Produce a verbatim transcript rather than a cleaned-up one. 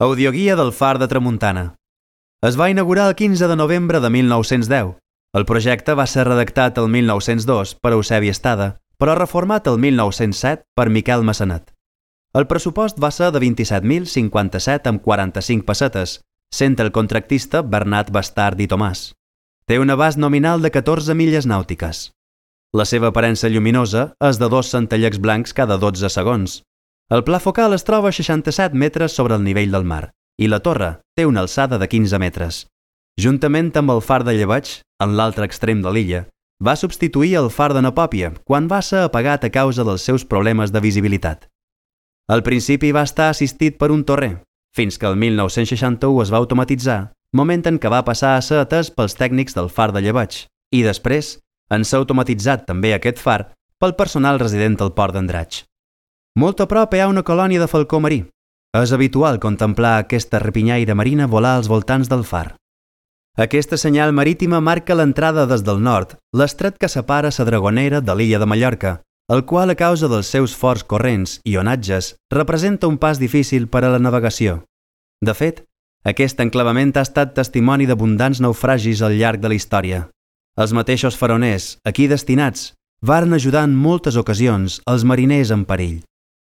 Audioguia del Far de Tramuntana. Es va inaugurar el quinze de novembre de mil nou-cents deu. El projecte va ser redactat el mil nou-cents dos per Eusebi Estada, però reformat el mil nou-cents set per Miquel Massanet. El pressupost va ser de vint-i-set mil cinquanta-set amb quaranta-cinc pessetes, sent el contractista Bernat Bastard i Tomàs. Té un abast nominal de catorze milles nàutiques. La seva aparença lluminosa és de dos centellecs blancs cada dotze segons. El pla focal es troba a seixanta-set metres sobre el nivell del mar i la torre té una alçada de quinze metres. Juntament amb el far de Llebeig, en l'altre extrem de l'illa, va substituir el far de Napòpia quan va ser apagat a causa dels seus problemes de visibilitat. Al principi va estar assistit per un torrer, fins que el mil nou-cents seixanta-u es va automatitzar, moment en què va passar a ser atès pels tècnics del far de Llebeig, i després en s'ha automatitzat també aquest far pel personal resident al port d'Andratx. Molt a prop hi ha una colònia de falcó marí. És habitual contemplar aquesta rapinyaire marina volar als voltants del far. Aquesta senyal marítima marca l'entrada des del nord, l'estret que separa la Dragonera de l'illa de Mallorca, el qual a causa dels seus forts corrents i onatges representa un pas difícil per a la navegació. De fet, aquest enclavament ha estat testimoni d'abundants naufragis al llarg de la història. Els mateixos faroners, aquí destinats, varen ajudar en moltes ocasions els mariners en perill.